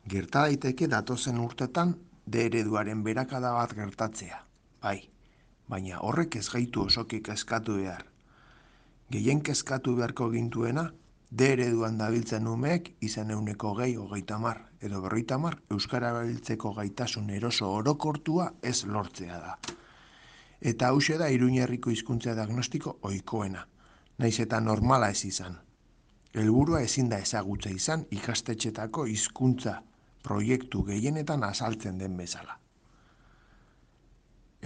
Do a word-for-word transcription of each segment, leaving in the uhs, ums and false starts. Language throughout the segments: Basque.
Gerta daiteke datozen urtetan D ereduaren berakada bat gertatzea, bai, baina horrek ez gaitu osoki kezkatu behar. Gehien kezkatu beharko gintuena, D ereduan dabiltzen umeek izan euneko gehi hogeita mar edo berroita mar euskara erabiltzeko gaitasun eroso orokortua ez lortzea da. Eta hause da Iruñerriko hizkuntza diagnostiko ohikoena, naiz eta normala ez izan. Helburua ezin da ezagutza izan ikastetxetako hizkuntza proiektu gehienetan azaltzen den bezala.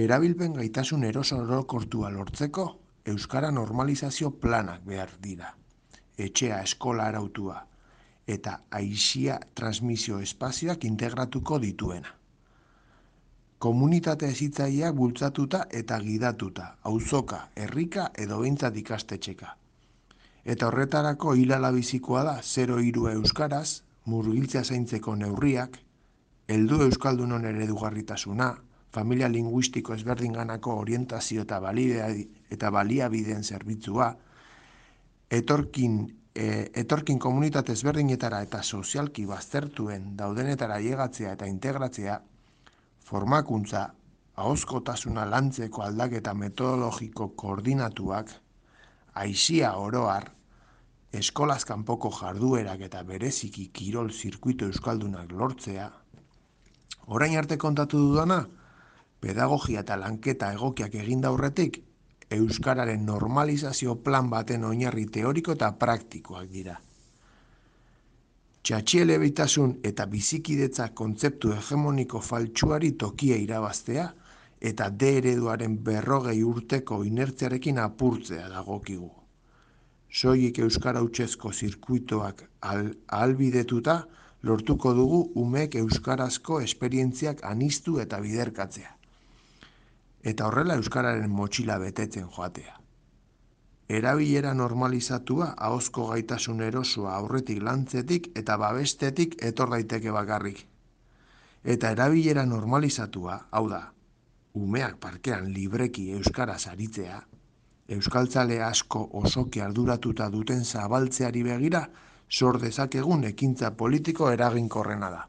Erabilpen gaitasun eroso orokortua lortzeko euskara normalizazio planak behar dira. Etxea, eskola arautua eta aisia transmisio espazioak integratuko dituena. Komunitate hezitzaileak bultzatuta eta gidatuta, auzoka, herrika edo behintzat ikastetxeka. Eta horretarako hilala bizikoa da zero hiru euskaraz, murgiltzea zaintzeko neurriak, heldu euskaldunon eredugarritasuna, familia linguistiko ezberdinganako orientazio eta eta baliabideen zerbitzua, etorkin, e, etorkin komunitate ezberdinetara eta sozialki baztertuen daudenetara llegatzea eta integratzea, formakuntza, ahozkotasuna lantzeko aldaketa metodologiko koordinatuak, aisia oroar, eskolaz kanpoko jarduerak eta bereziki kirol zirkuito euskaldunak lortzea. Orain arte kontatu dudana, pedagogia eta lanketa egokiak eginda aurretik, euskararen normalizazio plan baten oinarri teoriko eta praktikoak dira. Txatxielebitasun eta bizikidetza kontzeptu hegemoniko faltsuari tokia irabaztea eta D ereduaren berrogei urteko inertziarekin apurtzea dagokigu. Soilik euskara hutsezko zirkuitoak al, ahalbidetuta lortuko dugu umeek euskarazko esperientziak aniztu eta biderkatzea. Eta horrela euskararen motxila betetzen joatea. Erabilera normalizatua ahozko gaitasun erosoa aurretik lantzetik eta babestetik etor daiteke bakarrik. Eta erabilera normalizatua, hau da, umeak parkean libreki euskaraz aritzea, euskaltzale asko osoki arduratuta duten zabaltzeari begira, sor dezakegun ekintza politiko eraginkorrena da.